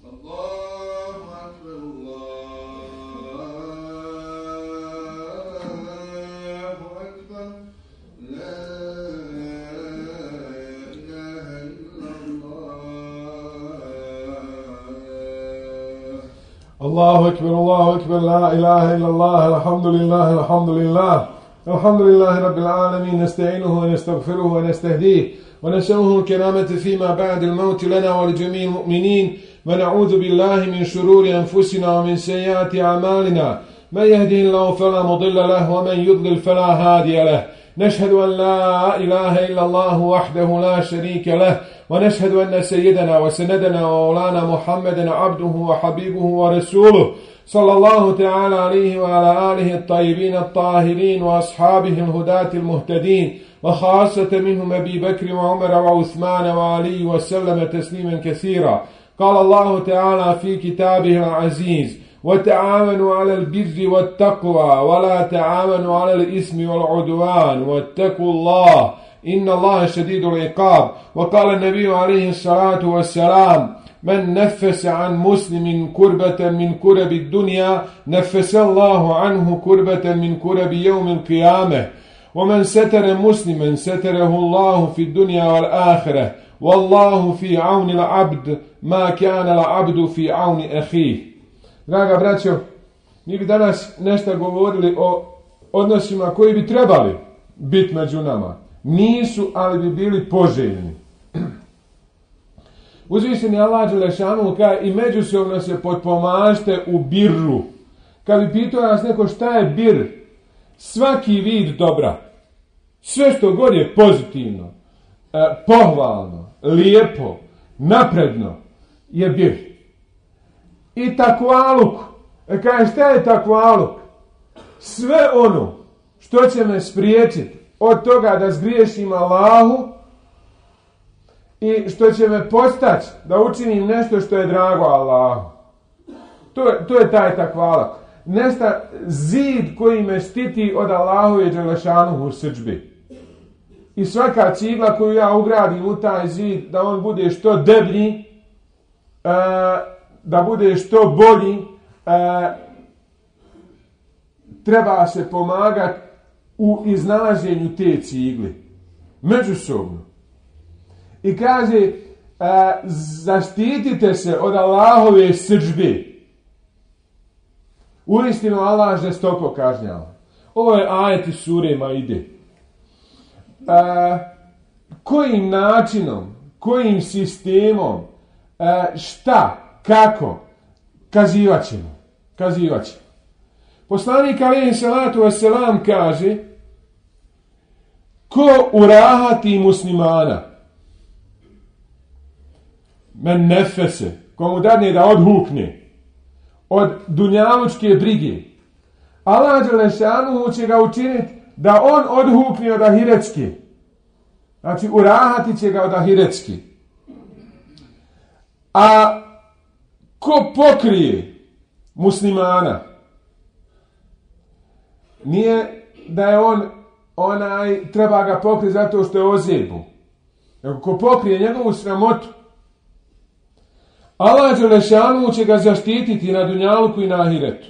الله أكبر الله أكبر لا إله إلا الله الحمد لله الحمد لله الحمد لله رب العالمين نستعينه ونستغفره ونستهديه ونسأله الكرامة فيما بعد الموت لنا ولجميع المؤمنين ونعوذ بالله من شرور أنفسنا ومن سيئات أعمالنا من يهده الله فلا مضل له ومن يضلل فلا هادي له نشهد أن لا إله إلا الله وحده لا شريك له ونشهد أن سيدنا وسندنا ومولانا محمدا عبده وحبيبه ورسوله صلى الله تعالى عليه وعلى آله الطيبين الطاهرين وأصحابه الهداة المهتدين وخاصة منهم أبي بكر وعمر وعثمان وعلي وسلم تسليما كثيرا. قال الله تعالى في كتابه العزيز وتعاونوا على البر والتقوى ولا تعاونوا على الإثم والعدوان واتقوا الله إن الله شديد العقاب. وقال النبي عليه الصلاة والسلام من نفس عن مسلم كربة من كرب الدنيا نفس الله عنه كربة من كرب يوم القيامة ومن ستر مسلما ستره الله في الدنيا والآخرة والله في عون العبد ما كان العبد في عون أخيه. Draga braćo, mi bi danas nešto govorili o odnosima koji bi trebali biti među nama. Nisu, ali bi bili poželjni. Uzvišeni Allah dželešanu kaže i međusobno se potpomažite u birru. Kad bi pitao nas neko šta je bir, svaki vid dobra, sve što god je pozitivno, pohvalno, lijepo, napredno, je bir. I takvaluk. Kaže šta je takvaluk? Sve ono što će me spriječiti od toga da zgriješim Allahu i što će me postaći da učinim nešto što je drago Allahu. To je taj takvaluk. Nesta zid koji me štiti od Allahove dželešanuhu srdžbi. I svaka cigla koju ja ugradim u taj zid, da on bude što deblji, da bude što bolji, treba se pomagati u iznalaženju te cigli. Međusobno. I kaže, zaštitite se od Allahove srdžbe. Uistinu Allah žestoko kažnjava. Ovo je ajet iz sure Maide. Kojim načinom, kojim sistemom, šta, kako, kazivat ćemo. Poslanik alejhi salatu vesselam kaže, ko urahati muslimana, men nefese, komu dadne da odhukne od dunjalučke brige, Allah dželešanu će ga učiniti da on odhukne od ahiretske. Znači urahati će ga od ahiretske. A ko pokrije muslimana, nije da je on treba ga pokriti zato što je ozlijeđen. Ko pokrije njegovu sramotu, Allah dželešanu će ga zaštititi na dunjaluku i na ahiretu.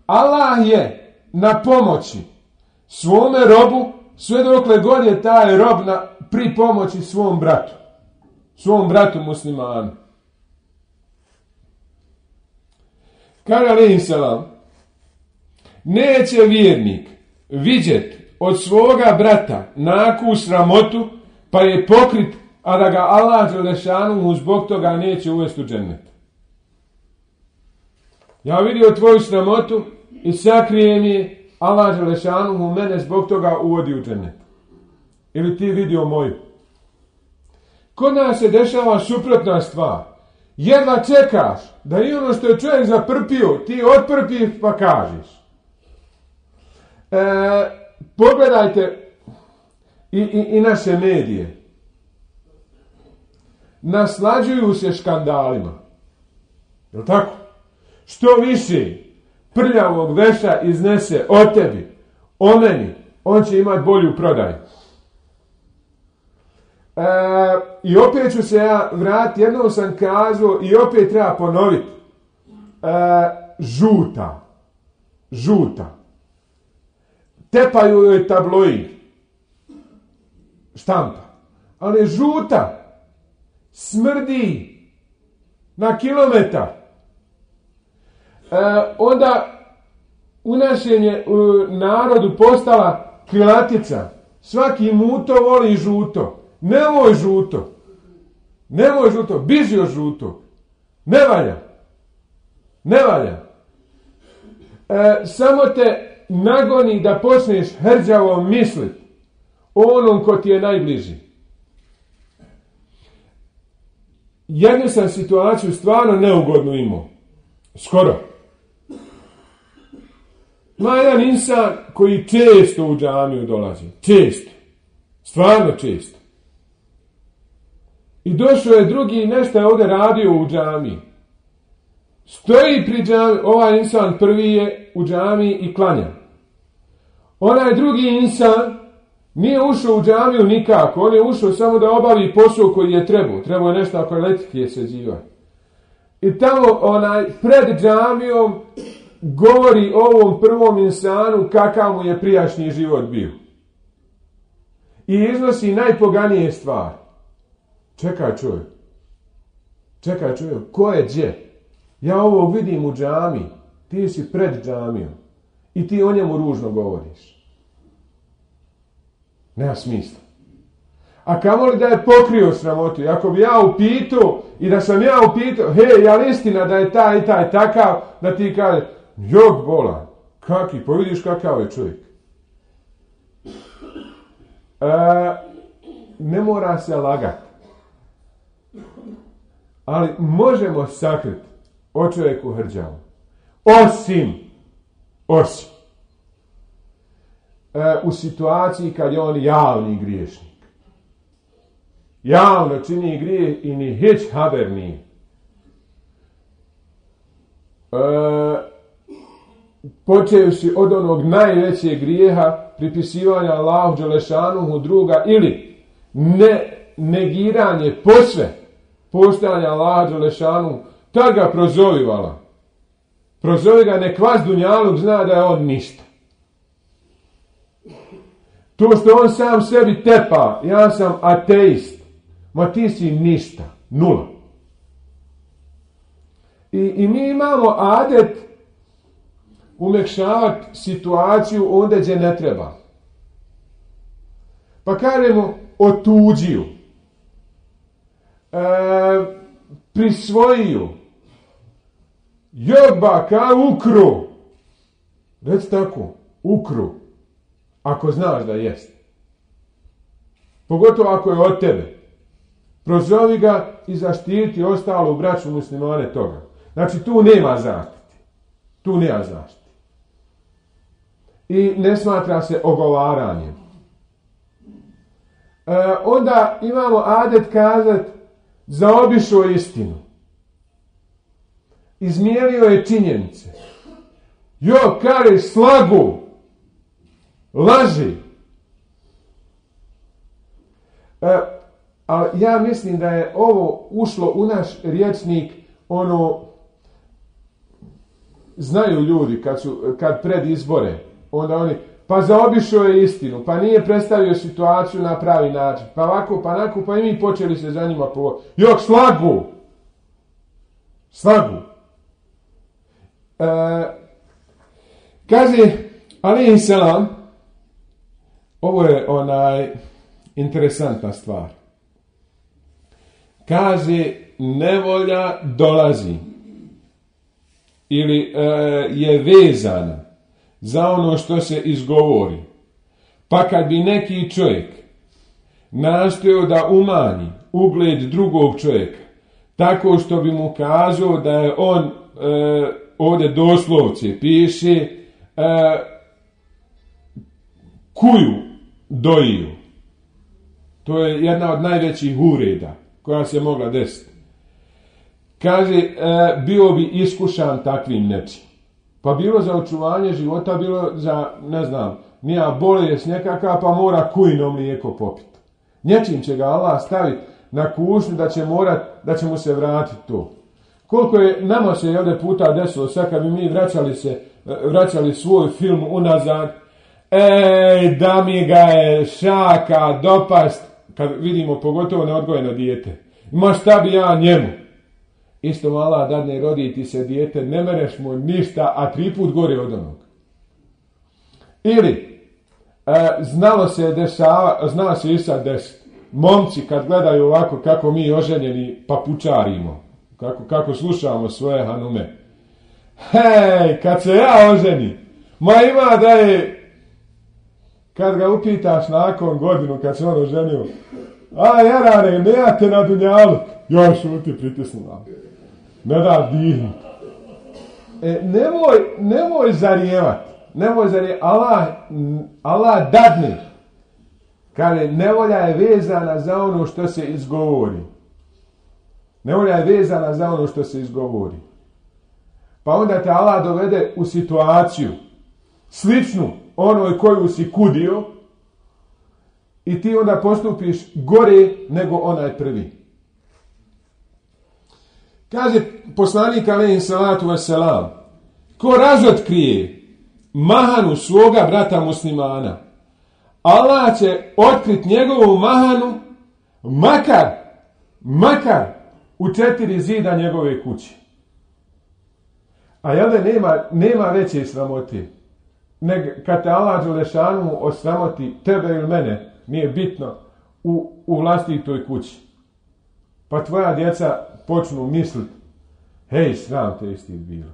Allah je na pomoći svome robu sve dokle god je taj rob pri pomoći svom bratu muslimanu. Kaže alejhi selam, neće vjernik vidjeti od svoga brata naku sramotu pa je pokrit, a da ga Allah dželešanu zbog toga neće uvesti u džennet. Ja vidio tvoju sramotu i sakrijem je, Allah dželešanu mene zbog toga uvodi u džennet. Ili ti vidio moju. Kod nas se dešava suprotna stvar. Jedva čekaš da i ono što je čovjek zaprpio, ti otprpiš pa kažeš. Pogledajte i naše medije. Naslađuju se škandalima. Je li tako? Što više prljavog veša iznese o tebi, o meni, on će imati bolju prodaju. I opet ću se ja vratiti, jednom sam kazao i opet treba ponoviti. Žuta. Tepaju joj tabloid. Štampa. Ali je žuta. Smrdi na kilometar. Onda u našem je narodu postala krilatica. Svaki muto voli žuto. Nemoj žuto, biži od žuto. Ne valja. Samo te nagoni da počneš hrđavo misliti o onom ko ti je najbliži. Jednu sam situaciju stvarno neugodnu imao. Skoro. Ima jedan insan koji često u džamiju dolazi. Stvarno često. I došao je drugi i nešto je ovdje radio u džamiji. Stoji pri džamiji, ovaj insan prvi je u džamiji i klanja. Onaj drugi insan nije ušao u džamiju nikako, on je ušao samo da obavi posao koji je trebao. Trebao je nešto oko elektrike sređivati. I tamo pred džamijom govori ovom prvom insanu kakav mu je prijašnji život bio. I iznosi najpoganije stvari. Čekaj čovjek, ko je gdje? Ja ovo vidim u džamiji, ti si pred džamijom i ti o njemu ružno govoriš. Nema smisla. A kamoli da je pokrio sramotu, ako bi ja upitao i da sam ja upitao, je li istina da je taj i taj takav, da ti kaže, jok bolan, kaki, pa vidiš kakav je čovjek. Ne mora se lagati. Ali možemo sakriti o čovjeku hrđavu. Osim u situaciji kad je on javni griješnik. Javno čini grijeh i ni hić haber nije. Počevši od onog najvećeg grijeha pripisivanja Allahu dželešanuhu druga ili negiranje posve postojanja Allaha dželešanu, tad ga prozovivala. Prozovi ga, nek vas dunjaluk zna da je on ništa. To što on sam sebi tepa, ja sam ateist, ma ti si ništa, nula. I mi imamo adet umekšavati situaciju onda gdje ne treba. Pa kažemo otuđiju. Prisvojio. Joba kao ukru. Reci tako, ukru. Ako znaš da jest. Pogotovo ako je od tebe. Prozovi ga i zaštiti ostalo u braću muslimane toga. Znači tu nema zaštite. I ne smatra se ogovaranjem. Onda imamo adet kazati zaobišao istinu. Izmijenio je činjenice. Kare slagu. Laži. Ali ja mislim da je ovo ušlo u naš rječnik, znaju ljudi kad pred izbore, onda oni, pa zaobišao je istinu, pa nije predstavio situaciju na pravi način, pa ovako, pa onako, pa i mi počeli se za njima povoditi. Slagu. Kaže, alejhi selam, ovo je interesantna stvar. Kaže, nevolja dolazi ili je vezana za ono što se izgovori. Pa kad bi neki čovjek nastojao da umanji ugled drugog čovjeka tako što bi mu kazao da je on, ovdje doslovce piše, kuju dojio. To je jedna od najvećih uvreda koja se mogla desiti. Kaže, bio bi iskušan takvim nečim. Pa bilo za očuvanje života, bilo za, ne znam, nija bolest nekakav, pa mora kujno mlijeko popiti. Nječim će ga Allah staviti na kušnju da će mu se vratiti to. Koliko je nama se ovdje puta desilo, sad kad bi mi vraćali svoj film unazad, da mi ga je šaka dopast, kad vidimo pogotovo neodgojeno dijete. Ma šta bi ja njemu? Isto Allah dadne, rodi ti se dijete, ne mereš mu ništa, a 3 put gore od onog. Ili, znalo se i sad desiti. Momci kad gledaju ovako kako mi oženjeni papučarimo, kako slušamo svoje hanume. Hej, kad se ja oženi, ma ima da je, kad ga upitaš nakon godinu kad se on oženio, jarane, ne ja te na dunjaluk, još šuti pritisnula. Ne da dihni. Nemoj zarijevati. Allah dadne. Kaže, nevolja je vezana za ono što se izgovori. Nevolja je vezana za ono što se izgovori. Pa onda te Allah dovede u situaciju sličnu onoj koju si kudio i ti onda postupiš gore nego onaj prvi. Kaže poslanik alejhi salatu vesselam, ko razotkrije mahanu svoga brata muslimana, Allah će otkriti njegovu mahanu makar u 4 zida njegove kuće. A jel da nema veće sramote? Kad te Allah dželešanu osramoti tebe ili mene, nije bitno, u vlastitoj kući. Pa tvoja djeca počnu misliti, hej, sram te isti bilo.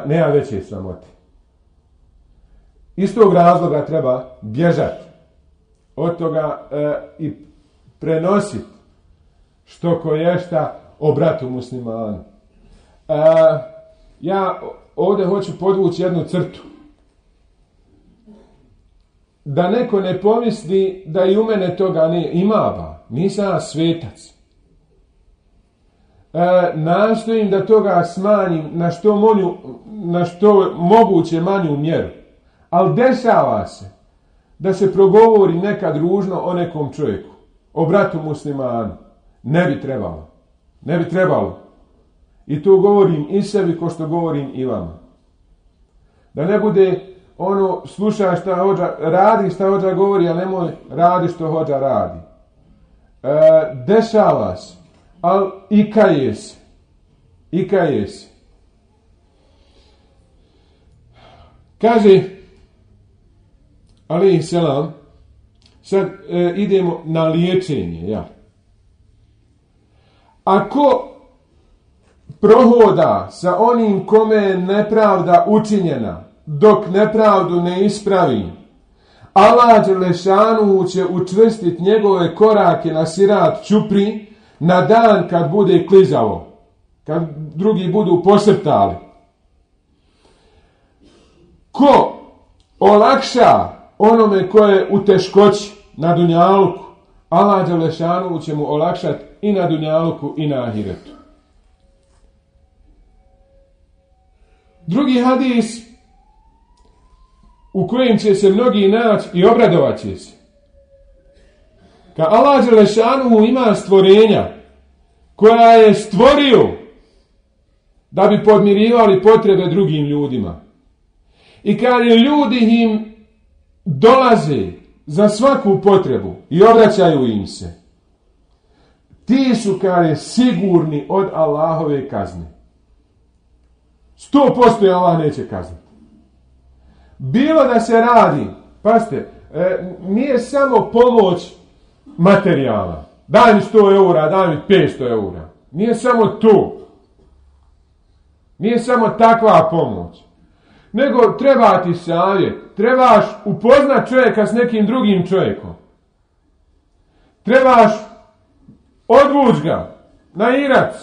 Nema veće sramote. Iz tog razloga treba bježati od toga i prenositi što koješta o bratu muslimanu. Ja ovdje hoću podvući jednu crtu. Da neko ne pomisli da i u mene toga ne ima, nisam ja svetac. Nastojim da toga smanjim na što moguće manju mjeru. Ali dešava se da se progovori nekad ružno o nekom čovjeku, o bratu muslimanu. Ne bi trebalo. I to govorim i sebi ko što govorim i vama. Da ne bude slušaj šta hođa, radi šta hođa govori, a nemoj radi što hođa radi. Dešava se, ali i kaje se. Kaže alejhi selam, sad idemo na liječenje. Ja. Ako prohoda sa onim kome je nepravda učinjena, dok nepravdu ne ispravi, Allah dželešanu će učvrstiti njegove korake na sirat čupri na dan kad bude klizavo, kad drugi budu posrtali. Ko olakša onome ko je u teškoći na dunjaluku, Allah dželešanu će mu olakšati i na dunjaluku i na ahiretu. Drugi hadis u kojem će se mnogi naći i obradovat će se. Kad Allah dželešanu ima stvorenja koja je stvorio da bi podmirivali potrebe drugim ljudima. I kad ljudi im dolaze za svaku potrebu i obraćaju im se, ti su sigurni od Allahove kazne. 100% Allah neće kazniti. Bilo da se radi, pazite, nije samo pomoć materijala. Daj mi 100 eura, daj mi 500 eura. Nije samo to. Nije samo takva pomoć. Nego treba ti savjet. Trebaš upoznat čovjeka s nekim drugim čovjekom. Trebaš odvući ga na Irac.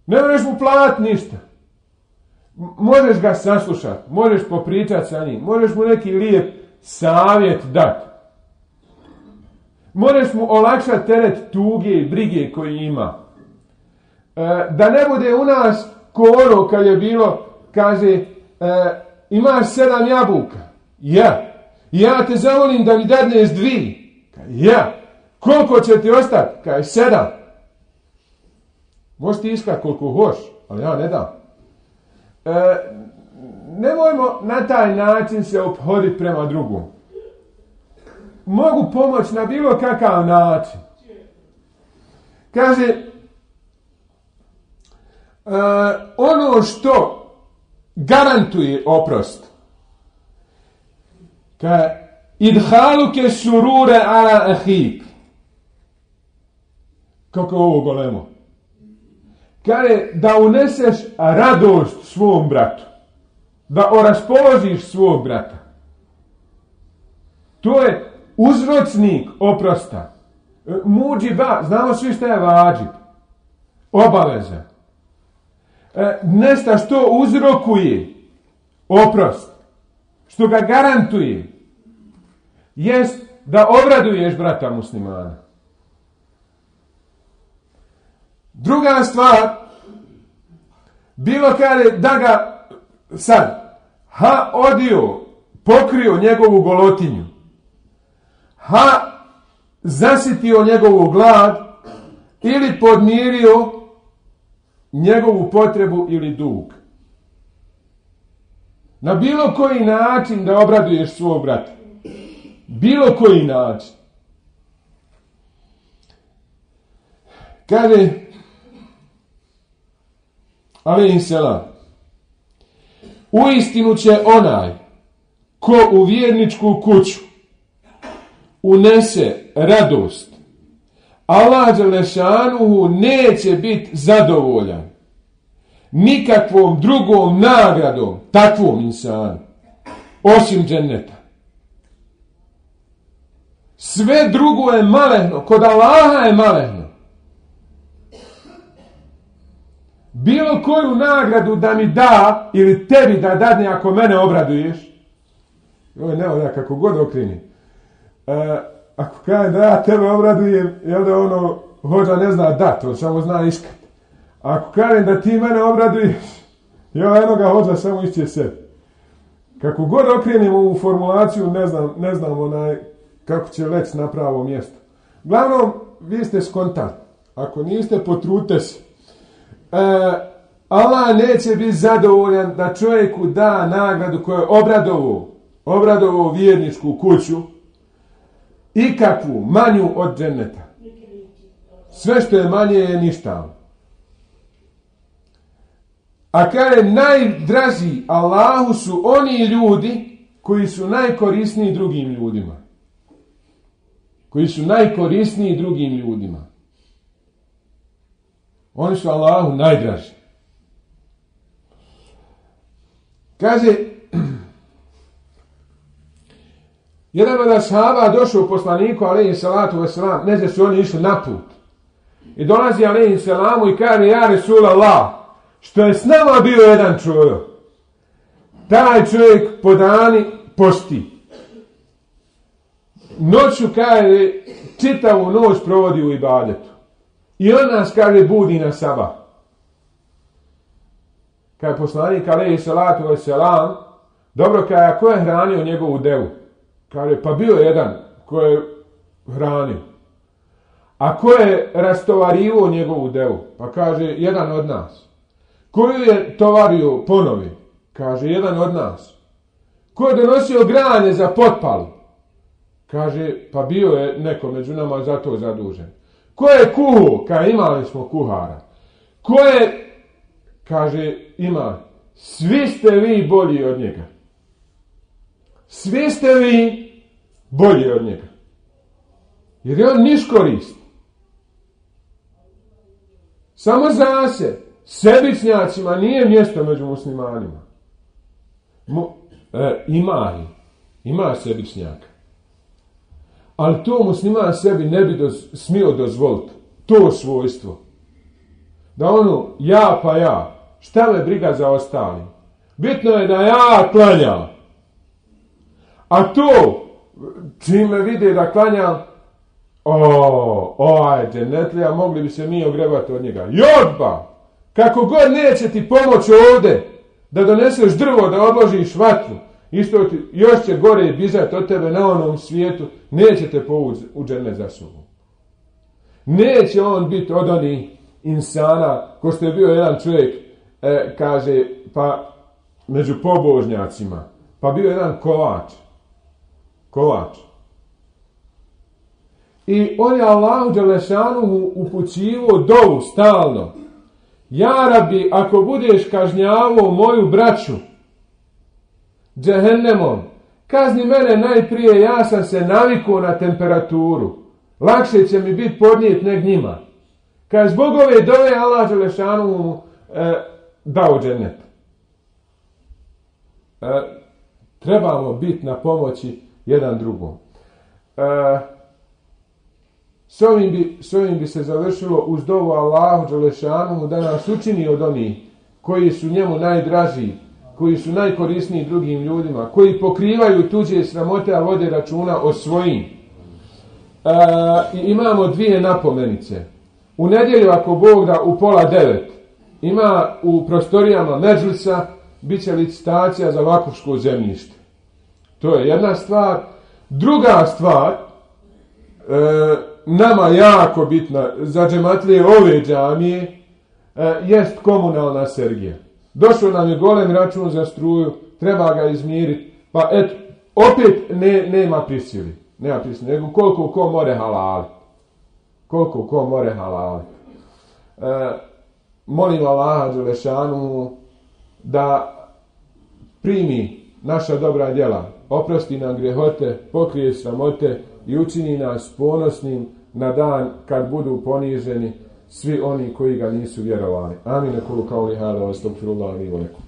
Ne možeš mu platiti ništa. Možeš ga saslušati, možeš popričati sa njim, možeš mu neki lijep savjet dati. Možeš mu olakšati teret tuge i brige koji ima. Da ne bude u nas ko ono kad je bilo, kaže, imaš 7 jabuka. Ja. Ja te zavolim da mi dadneš 2. Ja. Koliko će ti ostati? Kaj 7. Možeš ti iskati koliko hoš, ali ja ne dam. Nemojmo na taj način se ophoditi prema drugom. Mogu pomoći na bilo kakav način. Kaže, ono što garantuje oprost, kaže, idhaluke surure ala ahik. Kako je ovo golemo? Kaže, da uneseš radost svom bratu. Da oraspoložiš svog brata. To je uzročnik oprosta. Muđiba, znamo svi šta je vađib. Obaveza. Nešto što uzrokuje oprost, što ga garantuje, jest da obraduješ brata muslimana. Druga stvar, bilo kada da ga sad odio, pokrio njegovu golotinju, zasitio njegovu glad ili podmirio njegovu potrebu ili dug. Na bilo koji način da obraduješ svog brata. Bilo koji način. Kaže alejhi selam, uistinu će onaj ko u vjerničku kuću unese radost, Allah dželešanuhu neće biti zadovoljan nikakvom drugom nagradom takvom insanu osim dženneta. Sve drugo je malehno, kod Allaha je malehno. Bilo koju nagradu da mi da ili tebi da dadne ako mene obraduješ, ovo ne ovdje kako god okreni. Ako kaže da ja tebe obradujem, jel da ono hođa ne zna dat, on samo zna iskat. Ako kažem da ti mene obraduješ, jel jednoga hođa samo išće sebi. Kako god okrenimo ovu formulaciju, ne znam kako će leći na pravo mjesto. Uglavnom, vi ste skontani. Ako niste, potrudite se. Allah neće biti zadovoljan da čovjeku da nagradu koju je obradovao vjerničku kuću i kakvu manju od dženneta. Sve što je manje je ništavno. A kaže, najdraži Allahu su oni ljudi koji su najkorisniji drugim ljudima. Koji su najkorisniji drugim ljudima. Oni su Allahu najdraži. Kaže, jedan od ashaba došao u poslaniku, alejhi salatu vesselam, ne su oni išli na put. I dolazi alejhi selamu i kaže, ja Resulallah, što je s nama bio jedan čovjek. Taj čovjek po dani posti. Noću, kaže, čitavu noć provodi u ibadetu. I on nas, kaže, budi na sabah. Kaže poslanik, alejhi salatu vesselam, dobro, kaže, a ko je hranio njegovu devu? Kaže, pa bio jedan ko je hranio. A ko je rastovario njegovu devu? Pa kaže, jedan od nas. Koju je tovario ponovi? Kaže, jedan od nas. Ko je donosio granje za potpalu? Kaže, pa bio je neko među nama za to zadužen. Ko je kuhao? Kaže, imali smo kuhara. Ko je, kaže, ima, svi ste vi bolji od njega. Svi ste vi bolji od njega. Jer je on niš korist. Samo za se. Sebičnjacima nije mjesto među muslimanima. Ima sebičnjaka. Ali to musliman sebi ne bi smio dozvoliti. To svojstvo. Da ono, ja pa ja. Šta me briga za ostali? Bitno je da ja klanjam. A to, čime vide da klanjam, ovaj džennetlija, mogli bi se mi ogrebati od njega. Jodba! Kako god neće ti pomoći ovdje da doneseš drvo, da odložiš vatru, isto ti, još će gore bizati od tebe na onom svijetu, neće te povući u džennet za sobom. Neće on biti od onih insana, ko što je bio jedan čovjek, kaže, pa među pobožnjacima, pa bio jedan kovač. I on je Allahu dželešanuhu upućivao dovu stalno. Ja Rabbi, ako budeš kažnjavao moju braću džehennemom, kazni mene najprije, ja sam se navikao na temperaturu. Lakše će mi biti podnijet nek njima. Kad zbog ove dove Allah dželešanuhu dao džennet. Trebamo biti na pomoći jedan drugom. S ovim bi se završilo uz dovu Allahu dželešanuhu da nas učini od onih koji su njemu najdraži, koji su najkorisniji drugim ljudima, koji pokrivaju tuđe sramote, a vode računa o svojim. I imamo dvije napomenice. U nedjelju, ako Bog da, u 8:30 ima u prostorijama Medžlisa bit će licitacija za vakufsko zemljište. To je jedna stvar. Druga stvar, nama jako bitna za džematlije ove džamije, jest komunalna sergija. Došao nam je golem račun za struju, treba ga izmiriti, pa eto, opet nema prisili, nego koliko ko more halali. Molim Allaha dželešanuhu da primi naša dobra djela, oprosti nam grijehote, pokrije sramote i učini nas ponosnim na dan kad budu poniženi svi oni koji ga nisu vjerovali. Amin. Kulu kauli hada, astagfirullah li wa lakum.